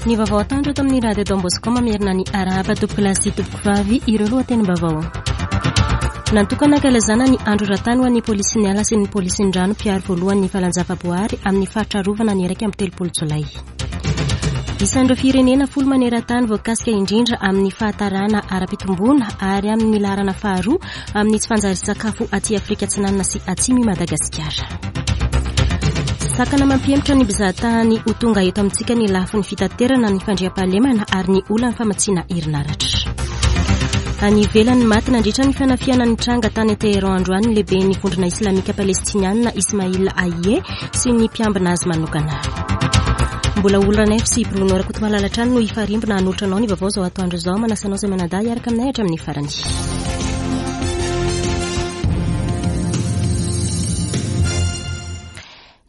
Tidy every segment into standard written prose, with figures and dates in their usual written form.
Ny vaovao atoandro eto amin'ny Radio Don Bosco mamerina ny arahaba tompokolahy sy tompokovavy ireo lohatenim-baovao. Natokana hankalazana ny andro eran-tany ho an'ny polisin'ny ala sy ny polisin'ny rano mpiaro voalohany ny valan-javaboary amin'ny faritra arovana ny 31 jolay. Isan'ireo firenena folo maneran-tany voakasika indrindra amin'ny fahatarana ara-pitomboana ary amin'ny laharana faharoa amin'ny tsy fanjarian-tsakafo aty Afrika Atsinanana sy Atsimo i Madagasikara. Sakana mampihemotra ny mpizahatany ho tonga eto amintsika ny lafiny fitaterana, ny fandriampahalemana ary ny olan'ny famatsiana herinaratra. Any ivelany, maty nandritra ny fanafihana nitranga tany Téhéran androany ny lehiben'ny vondrona islamika palestiniana Ismail Haniyeh sy ny mpiambina azy manokana. Mbola Olo Ranaivo sy Bruno Rakotomalala hatrany no hifarimbona hanolotra anao ny vaovao izao atoandro izao. Manasa anao izay manadahy hiaraka aminay hatramin'ny farany.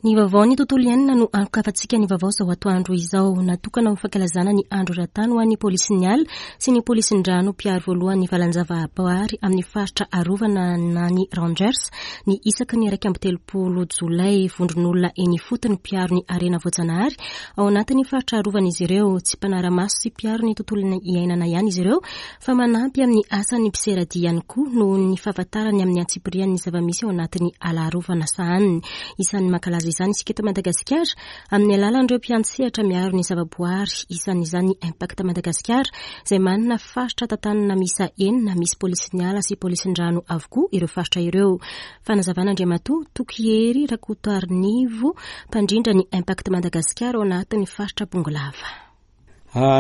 Ny vaovao ny tontolo iainana no anokafantsika ny vaovao izao atoandro izao. Natokana ho fankalazana ny andro eran-tany ho an'ny polisin'ny ala sy ny polisin'ny rano mpiaro voalohany valan-javaboary amin'ny faritra arovana na ny Rangers ny isaky ny 31 jolay. Vondron'olona eny ifotony mpiaro ny harena voajanahary ao anatin'ny faritra arovana izy ireo. Tsy mpanara-maso sy mpiaro ny tontolo iainana ihany izy ireo fa manampy amin'ny asan'ny mpiseradia ihany koa noho ny fahafantarany amin'ny antsipirian'ny zava-misy ao anatin'ny ala arovana sahaniny. Isan'ny mankalaza izany isika eto Madagasikara amin'ny alalan'ireo mpiantsehatra miaro ny zavaboary, isan'izany ny Impact Madagasikara izay manana faritra tantanana miisa enina, misy polisin'ny ala sy polisin'ny rano avokoa ireo faritra ireo. Fanazavana Andriamatoa Tokihery Rakotoarinivo, mpandrindra ny Impact Madagasikara ao anatin'ny faritra Bongolava.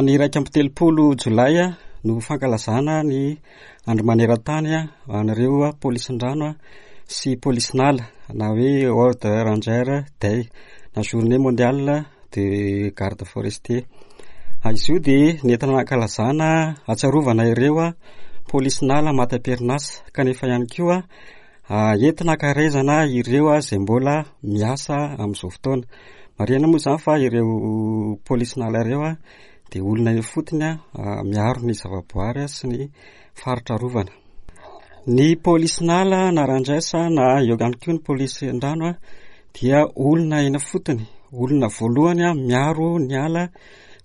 Ny 31 jolay no fankalazana ny andro maneran-tany ho an'ireo polisin-drano sy polisin'ala na hoe World Ranger Day na Journée mondiale de garde forestier. Izy io dia nentina nankalazana hahatsiarovana ireo polisin'ala maty am-perinasa kanefa ihany koa Entina ankaherezana ireo izay mbola miasa amin'izao fotoana. Marihana moa izany fa ireo polisin'ala ireo dia olona eny ifotony miaro ny zavaboary sy ny faritra arovana. Ny polisin'ala na rangers na eo ihany koa ny polisin-drano dia olona eny ifotony, olona voalohany miaro ny ala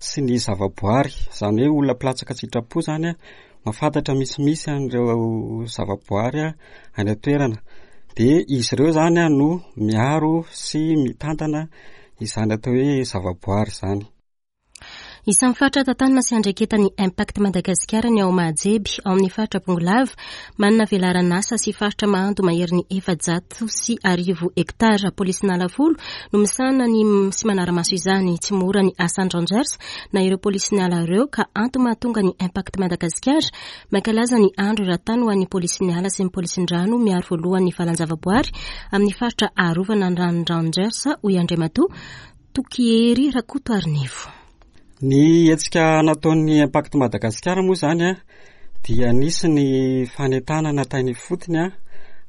sy ny zavaboary, izany hoe olona mpilatsaka an-tsitrapo izany mahafantatra misimisy an'ireo zavaboary any an-toerana. Dia izy ireo izany no miaro sy mitantana izany atao hoe zavaboary izany. Isan'ny faritra tantanina sy andraiketan'ny Impact Madagasikara ny ao Mahajeby, ao amin'ny faritra Bongolava. Manana velaran'asa sy faritra mahando maherin'ny 1400 hektara. Polisin'ala folo no misahana ny sy manara-maso izany. Tsy mora ny asan'ny Rangers na ireo polisin'ny ala ireo ka antony mahatonga ny Impact Madagasikara mankalaza ny andro eran-tany ho an'ny polisin'ny ala sy ny polisin-drano miaro voalohany ny valan-javaboary amin'ny faritra arovana ny rano Rangers, hoy Andriamatoa Tokihery Rakotoarinivo. Ny hetsika nataon'ny Impact Madagasikara moa izany dia nisy ny fanentanana tany ifotony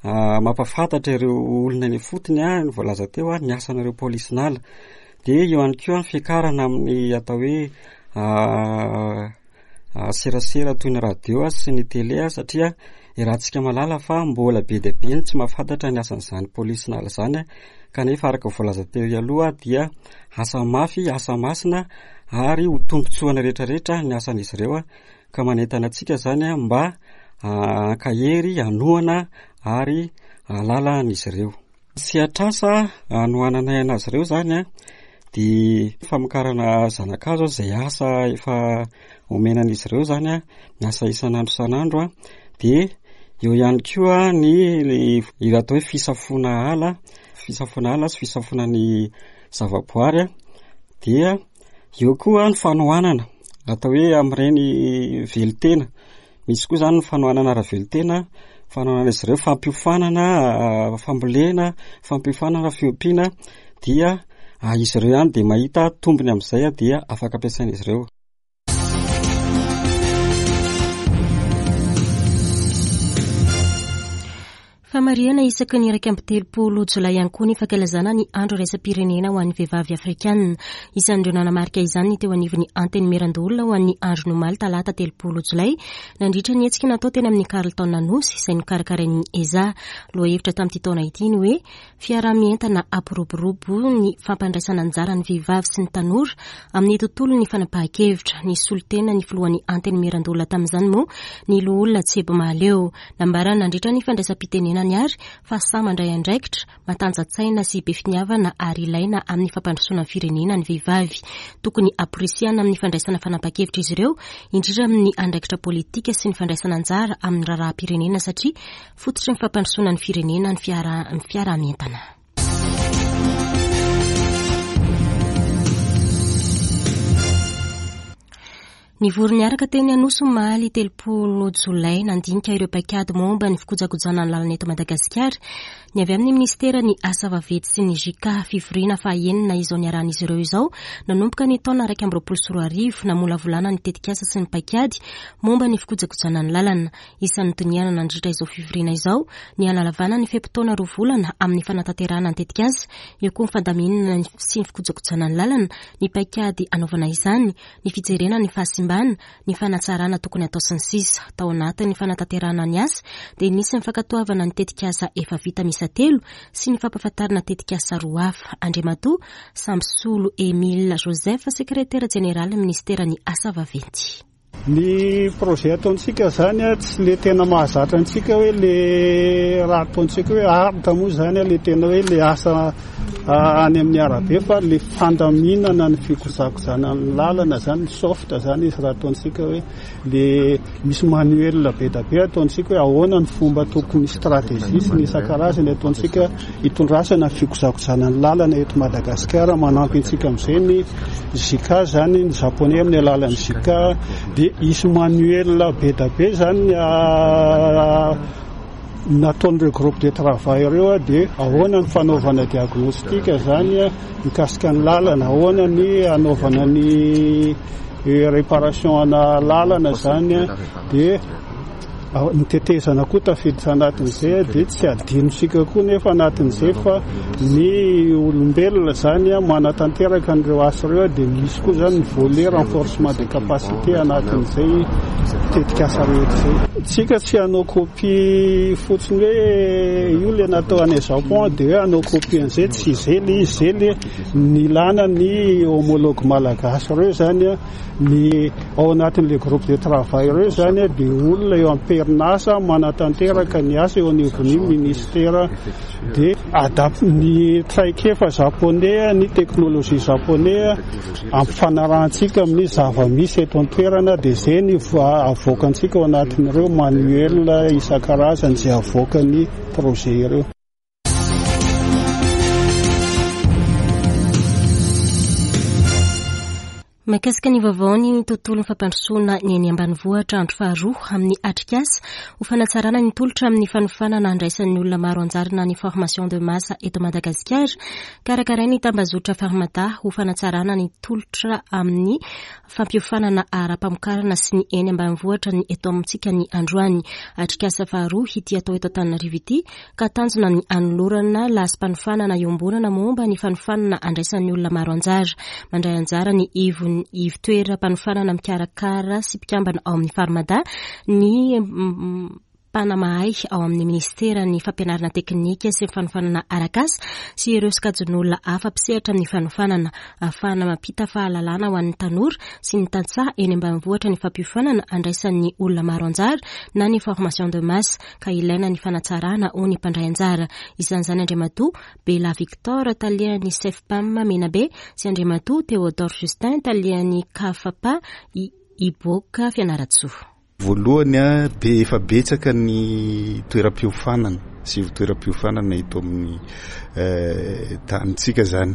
mampahafantatra ireo olona eny ifotony ny voalaza teo ny asan'ireo polisin'ala. Dia eo ihany koa ny fiakarana amin'ny atao hoe serasera toy ny radio sy ny tele satria iarahantsika mahalala fa mbola be dia be ny tsy mahafantatra ny asan'izany polisin'ala izany kanefa araka ny voalaza teo aloha dia asa mafy, asa masina ary ho tombontsoan'ny rehetrarehetra ny asan'izy ireo ka manentana antsika izany mba hankahery, hanohana ary hahalala an'izy ireo. Sehatr'asa hanohananay an'azy ireo izany an, dia famokarana zana-kazo izay asa efa omena an'izy ireo izany an, miasa isan'andro isan'andro an, dia eo ihany koa ny ilay atao hoe fisafoana ala, fisafoana ala sy fisafoana ny zavaboary an, dia eo koa ny fanohanana atao hoe amin'ireny velon-tena. Misy koa izany ny fanohanana ara-velon-tena, fanohanana izy ireo, fampiofanana fambolena, fampiofanana fiompiana dia izy ireo ihany dia mahita tombony amin'izay dia afaka ampiasain'izy ireo. Famarihana isaky ny 31 jolay ihany koa ny fankalazana ny Andro iraisam-pirenena ho an'ny vehivavy afrikanina. Isan'ireo nanamarika izany ny teo anivon'ny Antenimierandoholona ho an'ny andron'ny omaly talata 30 jolay, nandritra ny hetsika natao teny amin'ny Carlton Anosy izay nokarakarain'ny ESA. Lohahevitra tamin'ity taona ity ny hoe Fiaraha-mientana hampiroborobo ny fampandraisana anjara ny vehivavy sy ny tanora amin'ny tontolon'ny fanapahan-kevitra. Nisolo tena ny filohan'ny Antenimierandoholona tamin'izany moa ny loholona Tsebo Mahaleo. Nambarany nandritra ny fandraisam-pitenenany àry fa sahy mandray andraikitra, matanjan-tsaina sy be finiavana ary ilaina amin'ny fampandrosoana ny firenena ny vehivavy. Tokony hamporisihana amin'ny fandraisana fanapahan-kevitra izy ireo, indrindra amin'ny andraikitra politika sy ny fandraisana anjara amin'ny raharaham-pirenena satria Fototry ny fampandrosoana ny firenena ny fiaraha-mientana. Nivory niaraka teny Anosy omaly 30 jolay nandinika ireo paikady momba ny fikojakojana ny lalana eto Madagasikara ny avy amin'ny minisiteran'ny Asa vaventy sy ny JICA. Fivoriana fahaenina izao niarahan'izy ireo izao nanomboka ny taona 2021 namolavolana ny tetikasa sy ny paikady momba ny fikojakojana ny lalana. Isan'ny nodinihana nandritra izao fivoriana izao ny hanalavana ny fe-potoana roa volana amin'ny fanatanterahana ny tetikasa, eo koa ny fandaminana sy ny fikojakojana ny lalana, ny paikady hanaovana izany, ny fijerena ny fahasimbana, ny fanatsarana tokony hatao sy ny sisa Tao anatin'ny fanatanterahana ny asa dia nisy ny fankatoavana ny tetikasa efa vita miisa telo sy ny fampahafantarana tetikasa roa hafa. Andriamatoa Sambisolo Emile Joseph, sekretera jeneralin'ny minisiteran'ny Asa vaventy. Ny projet ataontsika zany tsy le tena mahazatra antsika hoe le raha ataontsika hoe art moa zany le tena hoe le asa any amin'ny arabe fa le fandaminana ny fikojakojana ny lalana zany soft zany izy raha ataontsika hoe le misy manuel be da be ataontsika hoe ahoana ny fomba tokony stratégie sy ny isan-karazany ataontsika Hitondrasana ny fikojakojana ny lalana eto Madagasikara, manampy antsika amin'izay ny JICA izany, ny japonais amin'ny alalan'ny JICA, dia hisy manuel be da be izany nataon'ireo groupe de travail ireo dia ahoana ny fanaovana diagnostic izany mikasika ny lalana, ahoana ny hanaovana ny réparation ana lalana izany dia Ny tetezana koa tafiditra anatin'izay dia tsy adinontsika koa nefa anatin'izay fa ny olombelona izany manatanteraka an'ireo asa ireo dia misy koa izany ny volet renforcement des capacités anatin'izay tetikasa rehetra izay. Tsika tsy hanao copie fotsiny hoe io le natao any Japon dia hoe hanao copie an'izay, tsy izay le izy, izay le nilana ny homologue malagasy ireo izany. Ny ao anatin'ilay groupe de travail ireo izany dia olona eo am-perinasa manatanteraka ny asa eo anivon'ny ministera dia adap ny traikefa japonais, ny teknolojia japonais ampifanarahantsika amin'ny zava-misy eto an-toerana dia izay ny avoakantsika ao anatin'ireo manuel isan-karazany izay avoakan'ny projet ireo. Mahakasika ny vaovaon'ny tontolon'ny fampandrosoana ny eny ambanivohitra andro faharoa amin'ny atrikasa ho fanatsarana ny tolotra amin'ny fanofanana andraisan'ny olona maro anjara na ny formation de masse eto Madagasikara karakarain'ny tambazotra Farmada ho fanatsarana ny tolotra amin'ny fampiofanana ara-pamokarana sy ny eny ambanivohitra ny eto amintsika ny androany. Atrikasa faharoa ity atao eto Antananarivo ity ka tanjona ny hanolorana lasim-panofanana iombonana momba ny fanofanana andraisan'ny olona maro anjara. Mandray anjara ny ivon ivon-toeram-panofanana mikarakara sy mpikambana ao amin'ny Farmada, ny mpanamahay ao amin'ny minisiteran'ny fampianarana teknika sy ny fanofanana arak'asa sy ireo sokajin'olona hafa mpisehatra amin'ny fanofanana. Ahafahana mampita fahalalana ho an'ny tanora sy ny tantsaha eny ambanivohitra ny fampiofanana andraisan'ny olona maro anjara na ny formation de masse. ka ilaina ny fanatsarana hoy ny mpandray anjara. Isan'izany Andriamatoa Bela Victor, talehan'ny Cefpam Menabe sy Andriamatoa Théodore Justin, talehan'ny Cafpa Iboaka Fianarantsoa. Voalohany dia efa betsaka ny toeram-piofanana sy ivon-toeram-piofanana eto amin'ny tanintsika izany.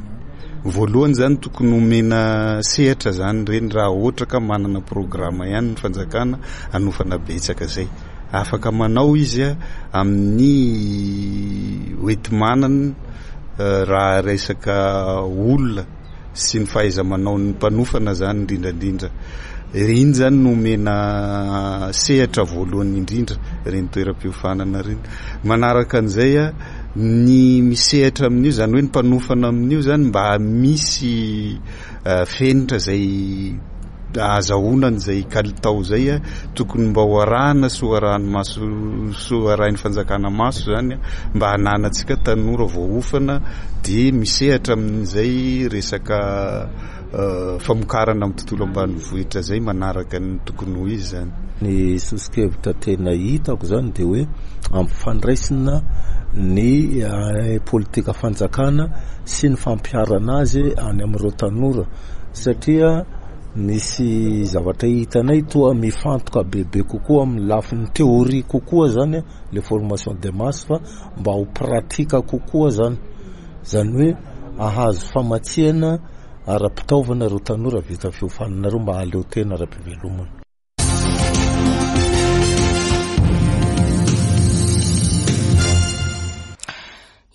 Voalohany izany tokony omena sehatra izany ireny raha ohatra ka manana programa ihany ny fanjakana hanofana betsaka izay. Afaka manao izy amin'ny hoenti-manana raha resaka olona sy ny fahaiza-manaon'ny mpanofana zany indrindra indrindra. Ireny zany no omena sehatra voalohany indrindra ireny toeram-piofanana ireny. Manaraka an'izay a, ny misehatra amin'io zany hoe ny mpanofana amin'io zany mba misy fenitra izay ahazahoana an'izay kalitao izay a, tokony mba ho arahana sy ho arahan'ny maso sy ho arahin'ny fanjakana maso zany mba hananantsika tanora voaofana dia misehatra amin'izay resaka famokarana amin'ny tontolo ambanivohitra izay manaraka ny tokony ho izy izany. Ny soso-kevitra tena hitako izany dia hoe ampifandraisina ny politika fanjakana sy ny fampiharana azy any amin'ireo tanora satria misy zavatra hitanay toa mifantoka bebe kokoa amin'ny lafiny théorie kokoa zany le formation de masse fa mba ho pratique kokoa zany, zany hoe ahazo famatsiana ara-pitaovana ireo tanora vita fiofanana ireo mba hahaleo tena ara-pivelomana.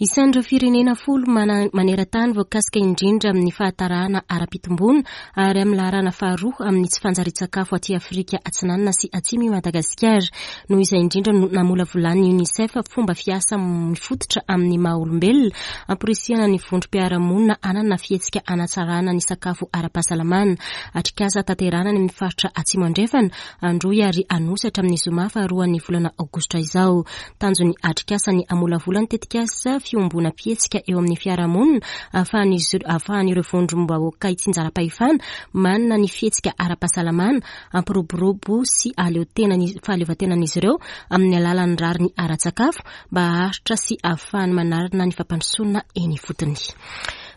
Isan'ireo firenena folo maneran-tany voakasika indrindra amin'ny fahatarahana ara-pitomboana ary amin'ny laharana faharoa amin'ny tsy fanjarian-tsakafo aty Afrika Atsinanana sy Atsimo i Madagasikara. Noho izay indrindra no namolavolan'ny UNICEF fomba fiasa mifototra amin'ny maha olombelona hamporisihana ny vondrom-piarahamonina hanana fihetsika hanatsarana ny sakafo ara-pahasalamana. Atrikasa tanterahana any amin'ny faritra Atsimo Andrefana, Androy ary Anosy hatramin'ny zoma faharoan'ny volana aogositra izao. Tanjon'ny atrikasa ny hamolavola ny tetikasa fiombonam-pihetsika eo amin'ny fiarahamonina ahafahan'ireo vondrom-bahoaka itsinjaram-pahefana manana ny fihetsika ara-pahasalamana hampiroborobo sy fahaleovantenan'izy ireo amin'ny alalan'ny rariny ara-tsakafo mba haharitra sy hahafahany manarina ny fampandrosoana eny ifotony.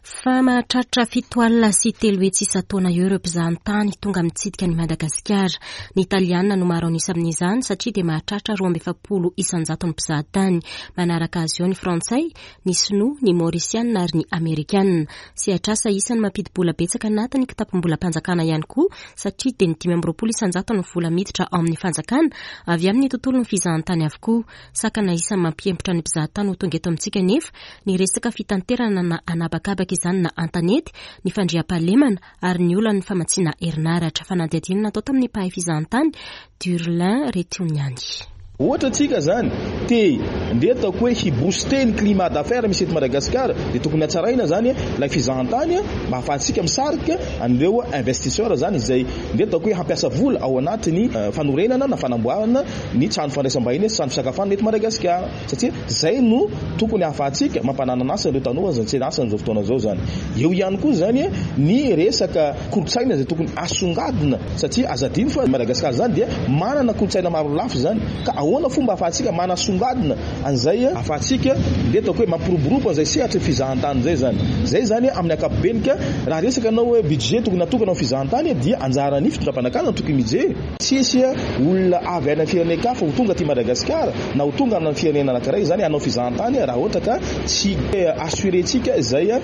Fa mahatratra 370 isan-taona eo ireo mpizahantany tonga mitsidika an'i Madagasikara. Ny Italiana no maro an'isa amin'izany satria dia mahatratra 42 isan-jaton'ny mpizahatany. Manaraka azy eo ny Frantsay, ny Sinoa, ny Maorisiana ary ny Amerikana. Sehatr'asa isan'ny mampidi-bola betsaka anatin'ny kitapom-bolam-panjakana ihany koa satria dia ny 25 isan-jaton'ny vola miditra ao amin'ny fanjakana avy amin'ny tontolon'ny fizahantany avokoa. Sakana isan'ny mampiempotra ny mpizahatany ho tonga eto amintsika anefa ny resaka fitanterana na an'habakabaka izany na an-tanety, ny fandriampahalemana ary ny olan'ny famatsiana herinaratra. Fanadihadiana natao tamin'ny mpahay fizahantany, Durlin Retioniani. Ohatra tsika zany te ndeha ataoko hoe hi booster ny climat d'affaires misy eto Madagascar dia tokony hatsaraina zany ilay fizahantany mba hahafahantsika misarika an'ireo investisseurs zany izay ndeha ataoko hoe hampiasa vola ao anatin'ny fanorenana na fanamboarana ny trano fandraisam-bahiny sy trano fisakafoanana eto Madagasikara satria zay no tokony hahafahantsika mampananana asa ireo tanora izay tsy an'asa amin'izao fotoana izao zany. Eo ihany koa zany ny resaka kolontsaina izay tokony asongadina satria aza adino fa Madagasikara zany dia manana kolontsaina maro lafy zany ka ahoana fomba ahafahantsika manasongadina an'izay ahafahantsika ndeha ataoko hoe mampiroborobo an'izay sehatry ny fizahantany izay zany. Zay zany amin'ny ankapobeny ka raha resaka anao hoe budget tokony natokana ho fizahantany dia anjaran'ny fitondram-panjakana no tokony mijery. Tsy hisy olona avy any amin'ny firenen-kafa ho tonga aty Madagasikara na ho tonga any amin'ny firenena anankiray izany hanao fizahantany raha ohatra ka tsy assurer-tsika izay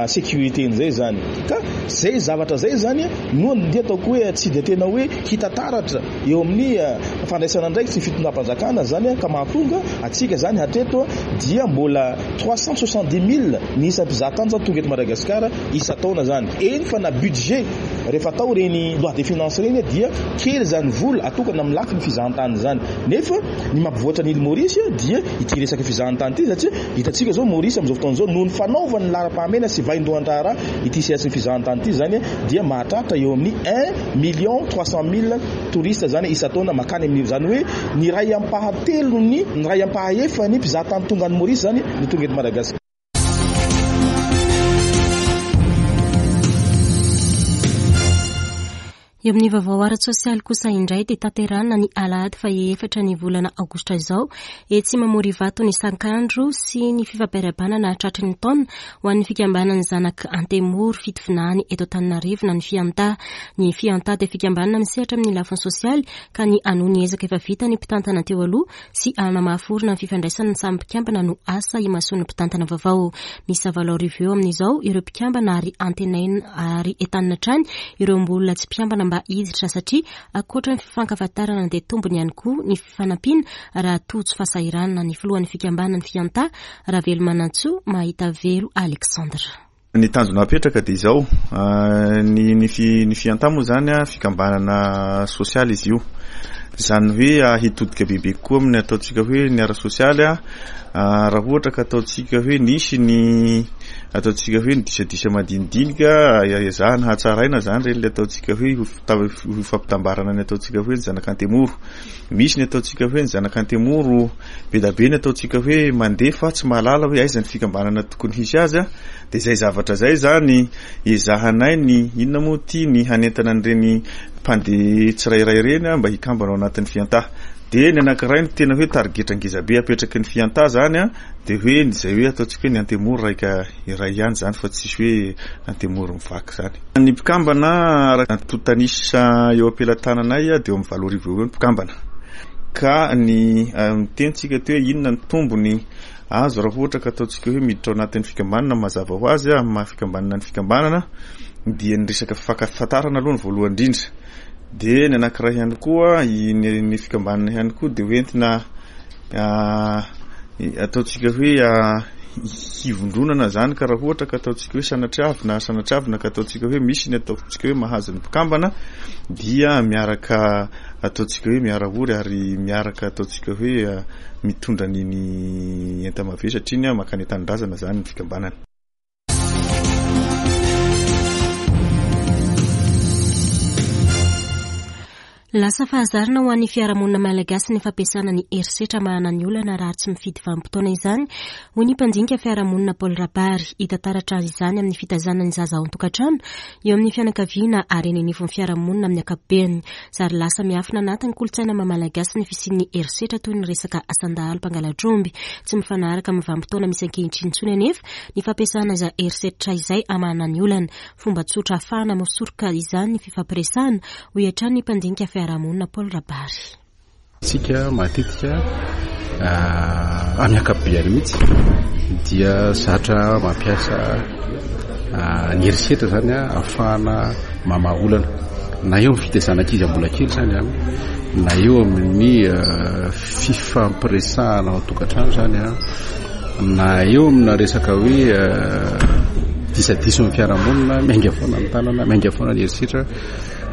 sécurité-ny izay izany. Ka izay zavatra izay izany no andeha ataoko hoe tsy dia tena hoe hita taratra eo amin'ny fandraisana andraikitry ny fitondram-panjakana izany ka mahatonga antsika izany hatreto dia mbola 370 000 ny isan'ny mpizahatany izany tonga eto Madagasikara isan-taona izany. Eny fa na budget Rehefa atao ireny loi de finance ireny dia kely izany vola atokana amin'ny lafiny fizahantany izany. Nefa ny mampivoatra ny île Maurice dia ity resaka fizahantany ity satria hitantsika izao Maurice amin'izao fotoana izao noho ny fanaovany laharam-pahamehana sy vaindohan-draharaha ity sehatry ny fizahantany ity izany dia mahatratra eo amin'ny un million 300 mille touristes izany isan-taona makany amin'io izany hoe ny iray ampahatelony ny iray ampahaefany mpizahatany tonga any Maurice izany no tonga eto Madagasikara. Eo amin'ny vaovao ara-tsosialy kosa indray dia tanterahina ny alahady faha efatra ny volana aogositra izao etsy Mamory Ivato ny sankandro sy ny fifampirahabanana tratry ny taona ho an'ny fikambanan'ny zanak' Antemoro Fitovinany eto Antananarivo na ny Fianta. Ny Fianta dia fikambanana misehatra amin'ny lafiny sosialy ka ny hanohy ny ezaka efa vita ny mpitantana teo aloha sy hanamafy orina ny fifandraisana ny samy mpikambana no asa imasoan'ny mpitantana vaovao. Miisa 88 eo amin'izao ireo mpikambana ary antenaina ary entanina hatrany ireo mbola tsy mpikambana mba hiditra satria ankoatra ny fifankafantarana dia tombony ihany koa ny fifanampiana raha tojo fahasahiranana ny filohan'ny fikambanana Fianta, Ravelomanantsoa Mahitavelo Alexandre. Ny tanjona apetraka dia izao, ny ny fi ny Fianta moa izany fikambanana sosialy izy io. Izany hoe hitodika bebe kokoa amin'ny ataontsika hoe ny ara-sosialy raha ohatra ka ataontsika hoe nisy ny ataontsika hoe ny disadisa madinidinika ezahana hatsaraina izany ireny ilay ataontsika hoe ho fampitambarana ny ataontsika hoe ny zanak'Antemoro. Misy ny ataontsika hoe ny zanak'Antemoro, be dia be ny ataontsika hoe mandeha fa tsy mahalala hoe aiza ny fikambanana tokony hisy azy an, dia izay zavatra izay izany ezahanay ny inona moa ity ny hanentana an'ireny mpandeha tsirairay ireny an mba hikambana ao anatin'ny fiantà. Dia ny anankiray ny tena hoe tarigetra ngezabe apetraky ny fiantà izany an, dia hoe ny izay hoe ataontsika hoe ny Antemoro raika iray ihany izany fa tsisy hoe Antemoro mivaky izany. Ny mpikambana araka ny antontan'isa eo am-pelatananay dia eo amin'ny 8000 eo ho eo ny mpikambana. Ka ny miteny tsika teo hoe inona ny tombony azo raha ohatra ka ataontsika hoe miditra ao anatin'ny fikambanana mazava ho azy amin'ny maha fikambanana ny fikambanana dia ny resaka fifankafantarana aloha ny voalohany indrindra. Dia ny anankiray ihany koa ny ny fikambanana ihany koa dia hoentina ataontsika hoe hivondronana zany ka raha ohatra ka ataontsika hoe sanatriavina sanatriavina ka ataontsika hoe misy ny ataontsika hoe mahazo ny mpikambana dia miaraka ataontsika hoe miara-ory ary miaraka ataontsika hoe mitondra ny ny enta-mavesatra iny mankany an-tanindrazana zany ny fikambanana. Lasa fahazarana ho an'ny fiarahamonina malagasy ny fampiasana ny herisetra mahana ny olana raha tsy mifidy vanim-potoana izany, hoy ny mpandinika fiarahamonina Paul Rabary. Hita taratra izany amin'ny fitaizana ny zaza ao an-tokantrano, eo amin'ny fianakaviana ary eny anivon'ny fiarahamonina amin'ny ankapobeny. Zary lasa miafina anatin'ny kolontsaina maha malagasy ny fisian'ny herisetra toy ny resaka asan-dahalo mpangala-tromby. Tsy mifanaraka amin'ny vanim-potoana misy ankehitriny intsony anefa ny fampiasana izay herisetra izay hamahana ny olana. Fomba tsotra ahafahana misoroka izany ny fifampiresahana, hoy hatrany ny mpandinika fiarahamonina Paul Rabary. Isika matetika amin'ny ankapobeny mihitsy dia zatra mampiasa ny herisetra izany ahafahana mamaha olana na eo amin'ny fitaizana ankizy mbola kely izany an, na eo amin'ny fifampiresahana ao an-tokantrano izany an, na eo amina resaka hoe disadisa amin'ny fiarahamonina, miainga foana ny tanana, miainga foana ny herisetra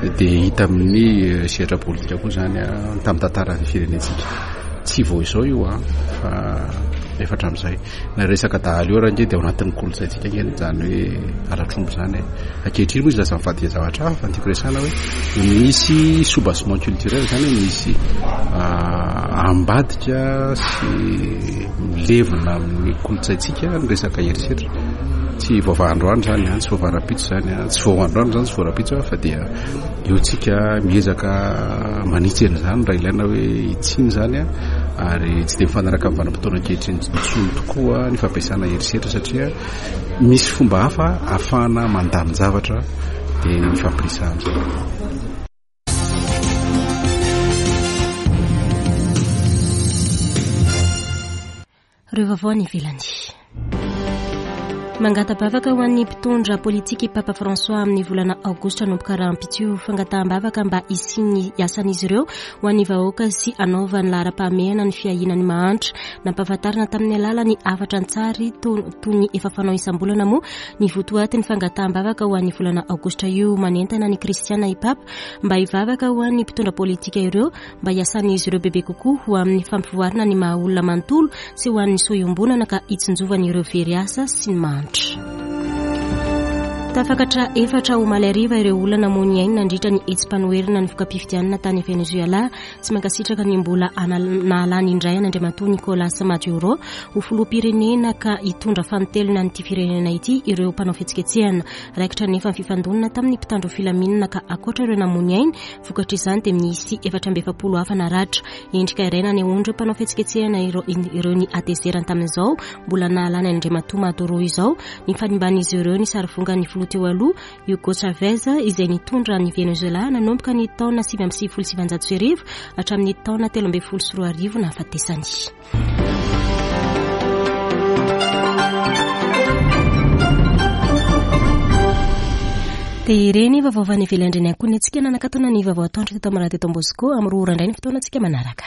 dia hita amin'ny sehatra politika koa izany tamin'ny tantaran'ny firenentsika. Tsy vao izao io fa efa hatramin'izay. Na resaka dahalo io ary ange dia ao anatin'ny kolontsaintsika ange izany hoe halatr'omby izany e. Ankehitriny moa izy lasa mivadika zavatra hafa fa ny tiako resahana hoe misy soubassement culturel izany hoe misy ambadika sy milevina amin'ny kolontsaintsika ny resaka herisetra. Tsy voavaha androany izany an, tsy voavaha rahampitso izany an, tsy vao androany izany, tsy vao rahampitso fa dia eo tsika miezaka manitsy an'izany raha ilaina hoe hitsiny izany an, ary tsy dia mifanaraka amin'ny vanim-potoana ankehitriny intsony tokoa ny fampiasana herisetra satria misy fomba hafa ahafahana mandamin-javatra dia ny fampirisahana izany. Ireo vaovao any ivelany. Mangata-bavaka ho an'ny mpitondra politika i Papa François amin'ny volana aogositra hanomboka rahampitso io. Fangataham-bavaka mba hisian'ny asan'izy ireo ho an'ny vahoaka sy hanaovany laharam-pahamehana ny fiahiana ny mahantra. Nampahafantarina tamin'ny alalan'ny hafatra an-tsary toy ny efa fanao isam-bolana moa ny votoatin'ny fangataham-bavaka ho an'ny volana aogositra io. Manentana ny kristiana i Papa mba hivavaka ho an'ny mpitondra politika ireo mba hiasan'izy ireo bebe kokoa ho amin'ny fampivoarana ny maha olona manontolo sy ho an'ny soa iombonana ka hitsinjovany ireo very asa sy ny mahantra. Tafakatra efatra omaly hariva ireo olona namoy ny ainy nandritra ny hetsi-panoherana ny voka-pifidianana tany Venezuela. Tsy mankasitraka ny mbola nahalany indray an'Andriamatoa Nicolas Maduro ho filoham-pirenena ka hitondra fanintelony an'ity firenena ity ireo mpanao fihetsiketsehana. Raikitra anefa ny fifandonana tamin'ny mpitandro filaminana ka ankoatra ireo namoy ny ainy Vokatr'izany dia misy 44 hafa naratra. Endrika iray nanehoan'ireo mpanao fihetsiketsehana ireo ny hatezerany tamin'izao mbola nahalany an'Andriamatoa Maduro izao ny fanimban'izy ireo ny sarivongan'ny filoha teo aloha Hugo Chavez izay nitondra an'i Venezuela nanomboka ny taona 1999 hatramin'ny taona 2013 nahafatesany. Dia ireny vaovao avy any ivelany ireny ihany koa ny antsika nanakatona ny vaovao atoandro teto amin'ny radio Don Bosco amin'ny roa ora indray ny fotoanantsika manaraka.